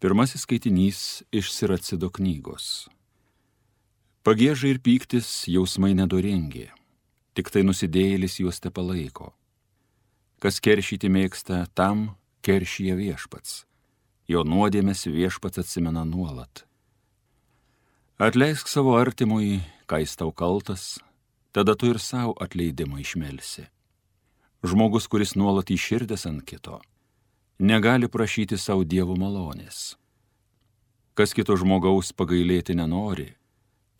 Pirmasis skaitinys iš Siracido knygos. Pagieža ir pyktis jausmai nedoringi, tik tai nusidėjėlis juos tepalaiko. Kas keršyti mėgsta, tam keršyje Viešpats, jo nuodėmes Viešpats atsimena nuolat. Atleisk savo artimui, kai jis tau kaltas, tada tu ir savo atleidimą išmelsi. Žmogus, kuris nuolat įširdęs ant kito, negali prašyti savo Dievo malonės. Kas kito žmogaus pagailėti nenori,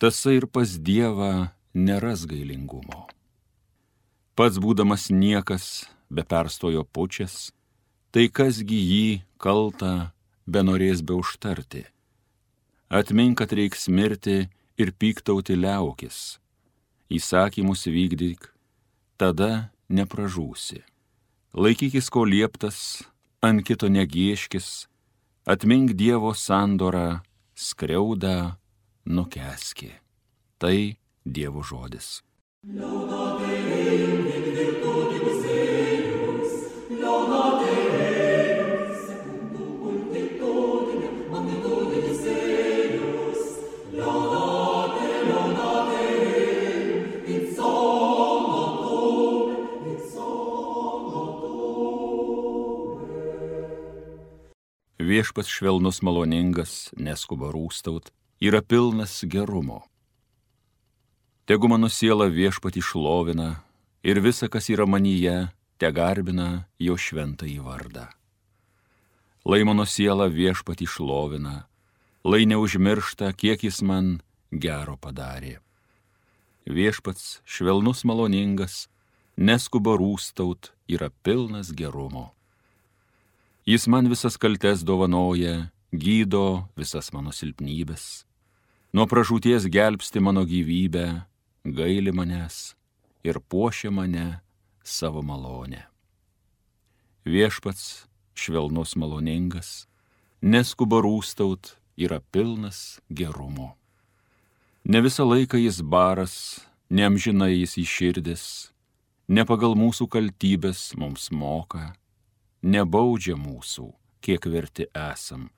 tasai ir pas Dievą neras gailingumo. Pats būdamas niekas, be perstojo pučias, tai kasgi jį kaltą benorės be užtarti. Atmink, kad reiks mirti ir pyktauti liaukis. Įsakymus vykdyk, tada nepražūsi. Laikykis, ko lieptas, ant kito negieškis, atmink Dievo sandorą, skriaudą nukeski. Tai Dievo žodis. Viešpats švelnus maloningas, neskuba rūstaut, yra pilnas gerumo. Tegu mano siela Viešpatį šlovina ir visa, kas yra manyje, te garbina jo šventąjį vardą. Lai mano siela Viešpatį šlovina, lai neužmiršta, kiek jis man gero padarė. Viešpats švelnus maloningas, neskuba rūstaut, yra pilnas gerumo. Jis man visas kaltes dovanoja, gydo visas mano silpnybės. Nuo pražūties gelbsti mano gyvybę, gaili manęs ir puošia mane savo malonę. Viešpats švelnus maloningas, neskuba rūstaut, yra pilnas gerumo. Ne visą laiką jis baras, neamžinai jis įširdęs, ne pagal mūsų kaltybės mums moka, nebaudžia mūsų, kiek verti esam.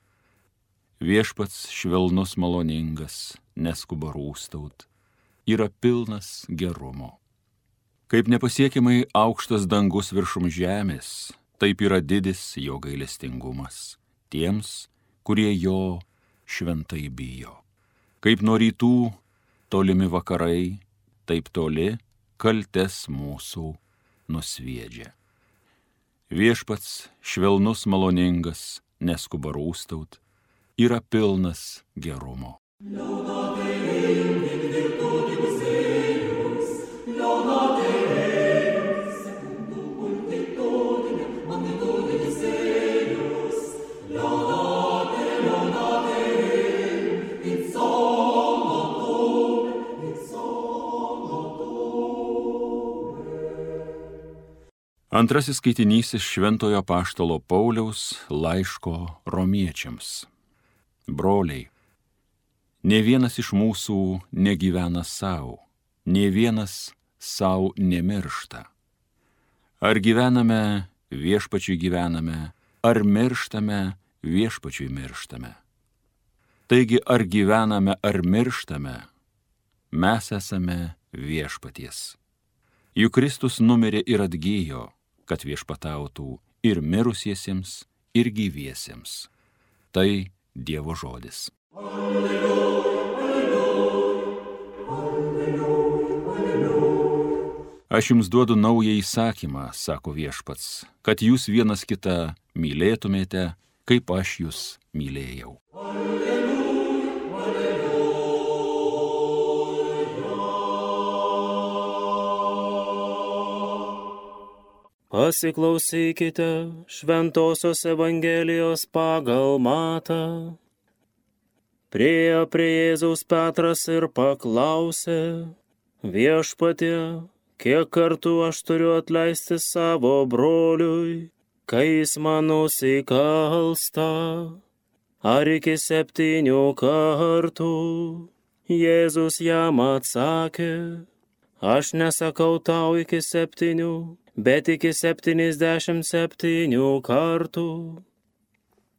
Viešpats švelnus maloningas, neskuba rūstaut, yra pilnas gerumo. Kaip nepasiekiamai aukštas dangus viršum žemės, taip yra didis jo gailestingumas tiems, kurie jo šventai bijo. Kaip nuo rytų tolimi vakarai, taip toli kaltes mūsų nusviedžia. Viešpats švelnus maloningas, neskuba rūstaut, yra pilnas gerumo. Antrasis skaitinys iš Šventojo apaštalo Pauliaus laiško Romiečiams. Broliai, nė vienas iš mūsų negyvena savo, nė vienas savo nemiršta. Ar gyvename, Viešpačiui gyvename, ar mirštame, Viešpačiui mirštame. Taigi, ar gyvename, ar mirštame, mes esame Viešpaties. Juk Kristus numirė ir atgijo, kad viešpatautų ir mirusiesiems, ir gyviesiems. Tai Dievo žodis. Alleluja, alleluja, alleluja. Aš jums duodu naują įsakymą, sako Viešpats, kad jūs vienas kitą mylėtumėte, kaip aš jūs mylėjau. Pasiklausykite Šventosios Evangelijos pagal Matą. Priėjo prie Jėzaus Petras ir paklausė: Viešpatie, kiek kartų aš turiu atleisti savo broliui, kai jis man nusikalsta? Ar iki 7 kartų? Jėzus jam atsakė: aš nesakau tau iki 7, bet iki 77 kartų.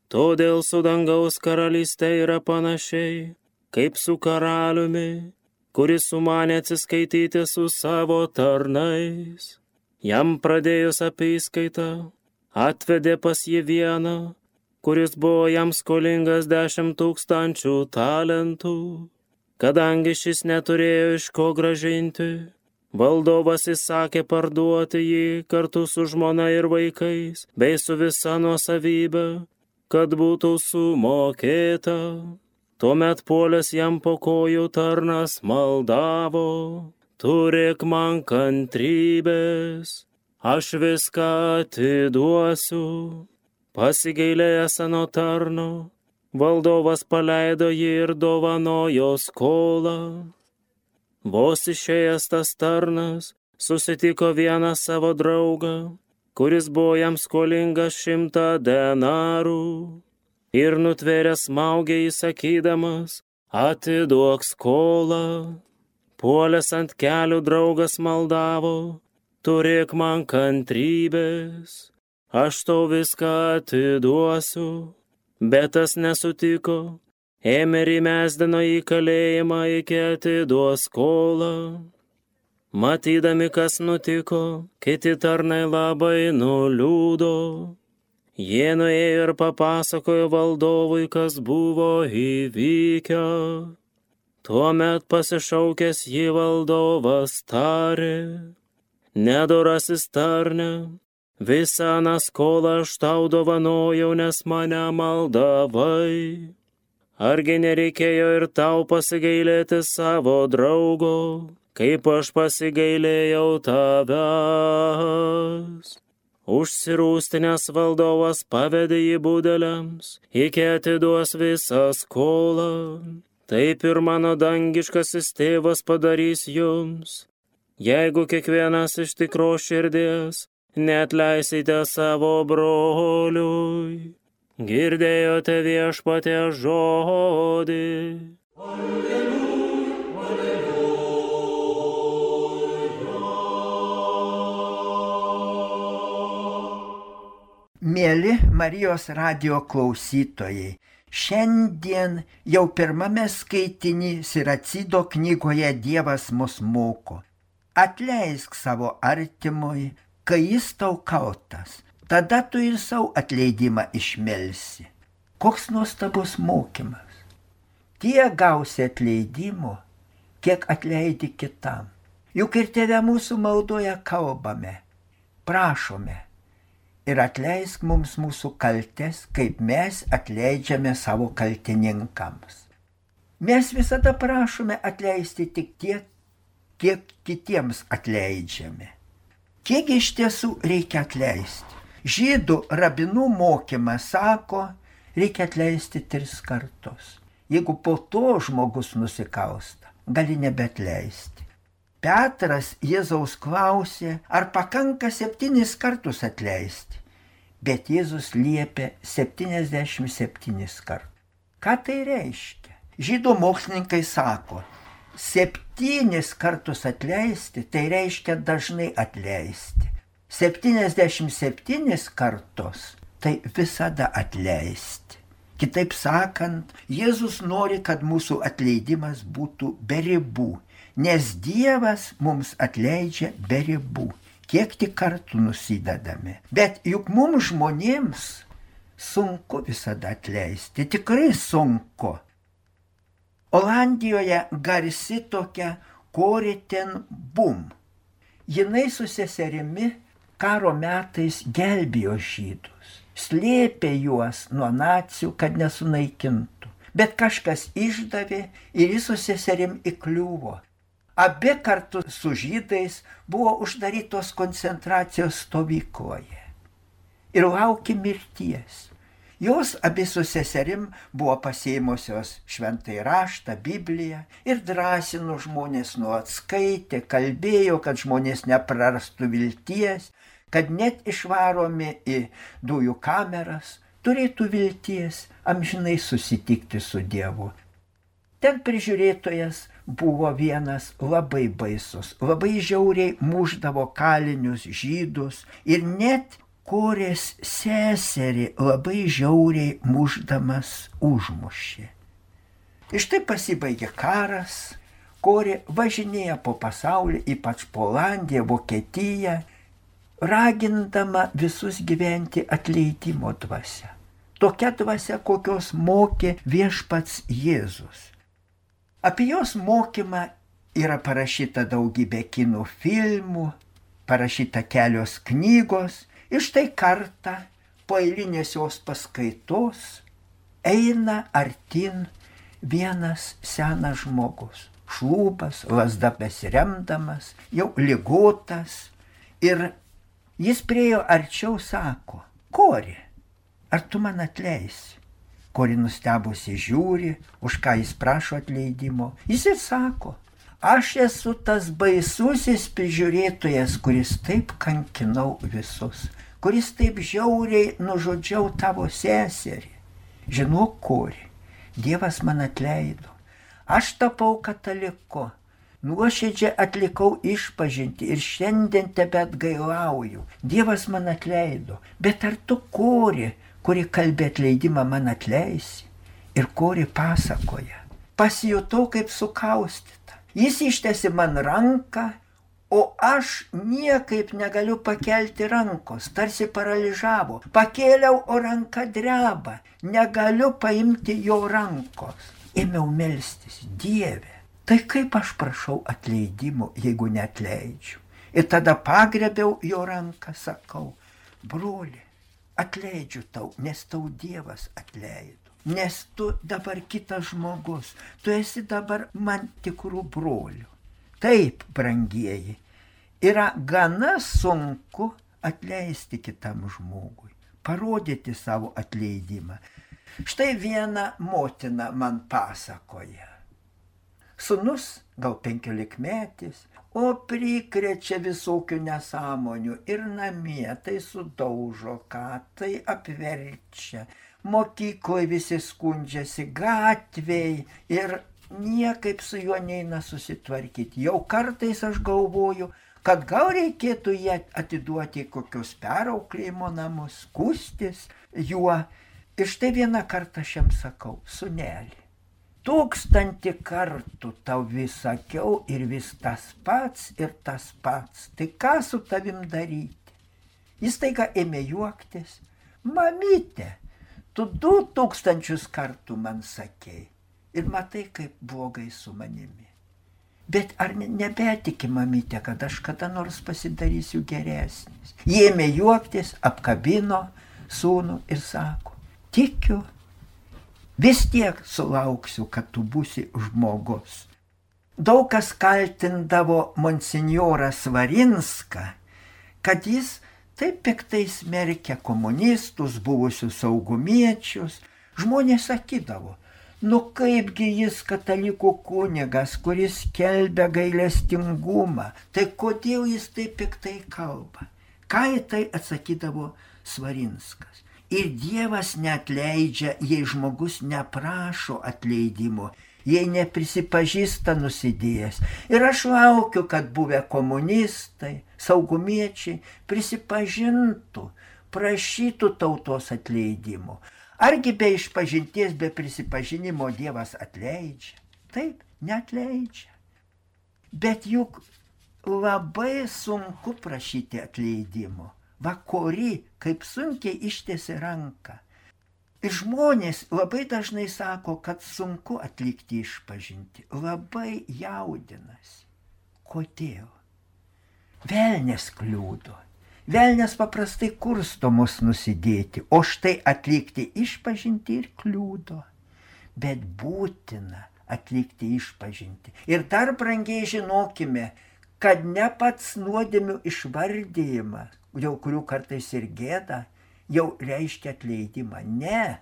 Todėl su dangaus karalystė yra panašiai, kaip su karaliumi, kuris sumanė atsiskaityti su savo tarnais. Jam pradėjus apyskaitą, atvedė pas jį vieną, kuris buvo jam skolingas 10 000 talentų. Kadangi šis neturėjo iš ko grąžinti, valdovas įsakė parduoti jį kartu su žmona ir vaikais, bei su visa nuosavybė, kad būtų sumokėta. Tuomet puolęs jam po kojų tarnas maldavo: turėk man kantrybės, aš viską atiduosiu. Pasigailėjęs ano tarno, valdovas paleido jį ir dovanojo skolą. Vos išėjęs tas tarnas susitiko vieną savo draugą, kuris buvo jam skolingas 100 denarų, ir nutvėręs smaugė įsakydamas: atiduok skolą. Puolęs ant kelių draugas maldavo: turėk man kantrybės, aš tau viską atiduosiu. Bet tas nesutiko, ėmė ir įmesdino į kalėjimą iki atiduos skolą. Matydami, kas nutiko, kiti tarnai labai nuliūdo. Jie nuėjo ir papasakojo valdovui, kas buvo įvykę. Tuomet pasišaukęs jį valdovas tarė: nedorasis tarne, visą aną skolą aš tau dovanojau, nes mane maldavai. Argi nereikėjo ir tau pasigailėti savo draugo, kaip aš pasigailėjau tavęs? Užsirūstinęs valdovas pavedė jį budeliams, iki atiduos visą skolą. Taip ir mano dangiškasis tėvas padarys jums, jeigu kiekvienas iš tikros širdies neatleisite savo broliui. Girdėjote Viešpaties žodį. Alleluja, alleluja. Mieli Marijos radijo klausytojai, šiandien jau pirmame skaitiny Siracido knygoje Dievas mus moko: atleisk savo artimui, kai jis tau kaltas, tada tu ir savo atleidimą išmelsi. Koks nuostabus mokymas. Tiek gausi atleidimo, kiek atleidi kitam. Juk ir Tėve mūsų maldoje kalbame, prašome: ir atleisk mums mūsų kaltes, kaip mes atleidžiame savo kaltininkams. Mes visada prašome atleisti tik tiek, kiek kitiems atleidžiame. Kiek iš tiesų reikia atleisti? Žydų rabinų mokymas sako, reikia atleisti 3 kartus. Jeigu po to žmogus nusikalsta, gali nebeatleisti. Petras Jėzaus klausė, ar pakanka 7 kartus atleisti, bet Jėzus liepė 77 kartus. Ką tai reiškia? Žydų mokslininkai sako, 7 kartus atleisti, tai reiškia dažnai atleisti. 77 kartus, tai visada atleisti. Kitaip sakant, Jėzus nori, kad mūsų atleidimas būtų be ribų, nes Dievas mums atleidžia be ribų, kiek tik kartų nusidedame. Bet juk mums žmonėms sunku visada atleisti, tikrai sunku. Olandijoje garsi tokia Corrie ten Boom. Jinai su seserimi karo metais gelbėjo žydus, slėpė juos nuo nacių, kad nesunaikintų. Bet kažkas išdavė ir jis su seserim įkliuvo. Abi kartu su žydais buvo uždarytos koncentracijos stovykloje ir laukė mirties. Jos abi su seserim buvo pasiėmusios šventąjį raštą, Bibliją ir drąsino žmonės, nuolat skaitė, kalbėjo, kad žmonės neprarastų vilties, kad net išvaromi į dujų kameras turėtų vilties amžinai susitikti su Dievu. Ten prižiūrėtojas buvo vienas labai baisus, labai žiauriai mušdavo kalinius žydus ir net Korės seserį labai žiauriai mušdamas užmušė. Iš tai pasibaigė karas, Korė važinėja po pasaulį, ypač po Olandiją, Vokietiją, ragindama visus gyventi atleidimo dvasia. Tokia dvasia, kokios mokė viešpats Jėzus. Apie jos mokymą yra parašyta daugybė kinų filmų, parašyta kelios knygos. Ir štai kartą po eilinės jos paskaitos eina artin vienas senas žmogus. Šlūpas, lazda besiremdamas, jau ligotas. Ir jis priejo arčiau, sako: Korė, ar tu man atleisi? Korė nustebusi žiūri, už ką jis prašo atleidimo. Jis ir sako: aš esu tas baisusis prižiūrėtojas, kuris taip kankinau visus, kuris taip žiauriai nužudžiau tavo seserį. Žinok, Korė, Dievas man atleido. Aš tapau kataliku, nuoširdžiai atlikau išpažintį ir šiandien tebeatgailauju. Dievas man atleido. Bet ar tu, Korė, kuri kalbė atleidimą, man atleisi? Ir Korė pasakoja: pasijutau kaip sukaustyta. Jis ištiesė man ranką, o aš niekaip negaliu pakelti rankos, tarsi paralyžavo. Pakėliau, o ranka dreba, negaliu paimti jo rankos. Ėmiau melstis: Dieve, tai kaip aš prašau atleidimo, jeigu neatleidžiu? Ir tada pagrėbiau jo ranką, sakau: broli, atleidžiu tau, nes tau Dievas atleido. Nes tu dabar kitas žmogus, tu esi dabar man tikrų brolių. Taip, brangieji, yra gana sunku atleisti kitam žmogui, parodyti savo atleidimą. Štai viena motina man pasakoja. Sūnus, gal 15-metis, o prikrečia visokių nesąmonių ir namie tai sudaužo ką, tai apverčia. Mokykloje visi skundžiasi, gatvėj, ir niekaip su juo neina susitvarkyti. Jau kartais aš galvoju, kad gal reikėtų jį atiduoti į kokius perauklėjimo namus, skųstis juo. Ir štai vieną kartą aš jam sakau: sūneli, 1000 kartų tau vis sakiau ir vis tas pats ir tas pats. Tai ką su tavim daryti? Jis taiga ėmė juoktis: mamyte, tu 2000 kartų man sakei ir matai, kaip blogai su manimi. Bet ar nebetiki, mamyte, kad aš kada nors pasidarysiu geresnis? Jie ėmė juoktis, apkabino sūnų ir sako: tikiu, vis tiek sulauksiu, kad tu būsi žmogus. Daug kas kaltindavo monsinjorą Svarinską, kad jis taip piktai smerkia komunistus, buvusius saugumiečius. Žmonės sakydavo: nu kaipgi jis katalikų kunigas, kuris skelbia gailestingumą, tai kodėl jis taip piktai kalba? Ką į tai atsakydavo Svarinskas? Ir Dievas neatleidžia, jei žmogus neprašo atleidimo, jei neprisipažįsta nusidėjęs. Ir aš laukiu, kad buvę komunistai, saugumiečiai prisipažintų, prašytų tautos atleidimo. Argi be išpažinties, be prisipažinimo Dievas atleidžia? Taip, neatleidžia. Bet juk labai sunku prašyti atleidimo. Va, Korė kaip sunkiai ištiesė ranką. Ir žmonės labai dažnai sako, kad sunku atlikti išpažinti. Labai jaudinasi. Kodėl? Velnias kliudo. Velnias paprastai kursto mus nusidėti, o štai atlikti išpažinti ir kliudo. Bet būtina atlikti išpažinti. Ir dar brangiai žinokime, kad ne pats nuodėmių išvardyjimas, dėl kurių kartais ir gėda, jau reiškia atleidimą. Ne,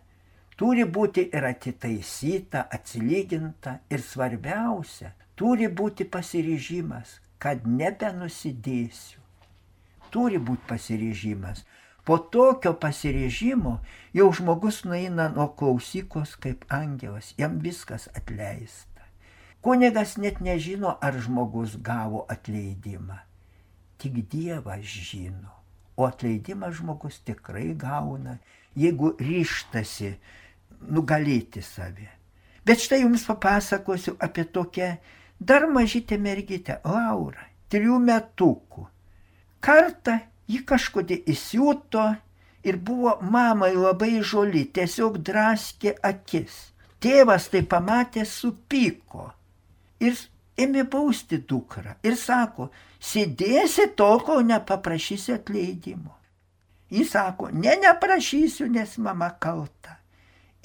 turi būti ir atitaisyta, atsilyginta ir svarbiausia, turi būti pasiryžimas, kad nebenusidėsiu. Turi būti pasiryžimas. Po tokio pasiryžimo jau žmogus nueina nuo klausyklos kaip angelas, jam viskas atleista. Kunigas net nežino, ar žmogus gavo atleidimą. Tik Dievas žino. O atleidimą žmogus tikrai gauna, jeigu ryžtasi nugalėti save. Bet štai jums papasakosiu apie tokią dar mažytę mergytę, Laurą, 3 metukų. Kartą ji kažkodėl įsiuto ir buvo mamai labai žoli, tiesiog draskė akis. Tėvas tai pamatė, supyko ir ėmė bausti dukrą ir sako, sėdėsi tol, kol nepaprašysi atleidimo. Jis sako, neprašysiu, nes mama kalta.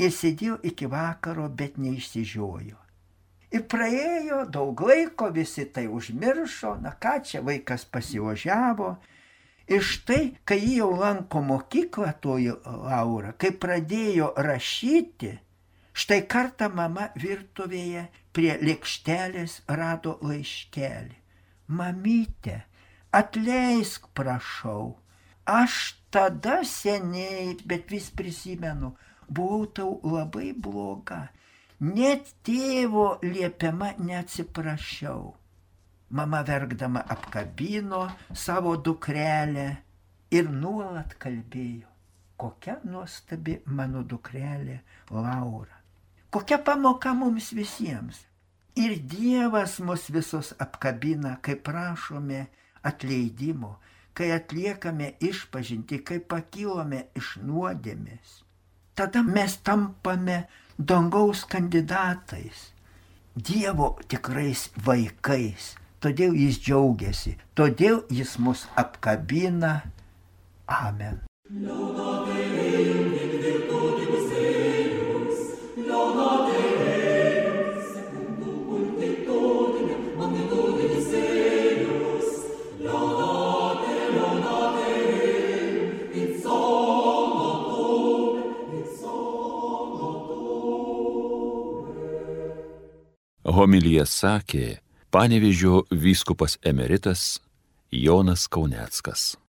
Ir sėdėjo iki vakaro, bet neišsižiojo. Ir praėjo daug laiko, visi tai užmiršo, na ką čia, vaikas pasiožiavo. Ir štai, kai jį jau lanko mokyklą, toji Laura, kai pradėjo rašyti, štai kartą mama virtuvėje prie lėkštelės rado laiškelį. Mamyte, atleisk, prašau, aš tada seniai, bet vis prisimenu, buvau tau labai bloga, net tėvo liepiama neatsiprašiau. Mama verkdama apkabino savo dukrelę ir nuolat kalbėjo, kokia nuostabi mano dukrelė Laura. Kokia pamoka mums visiems. Ir Dievas mus visus apkabina, kai prašome atleidimo, kai atliekame išpažintį, kai pakilome iš nuodėmės. Tada mes tampame dangaus kandidatais, Dievo tikrais vaikais. Todėl jis džiaugiasi, todėl jis mus apkabina. Amen. Homiliją sakė Panevėžio vyskupas emeritas Jonas Kauneckas.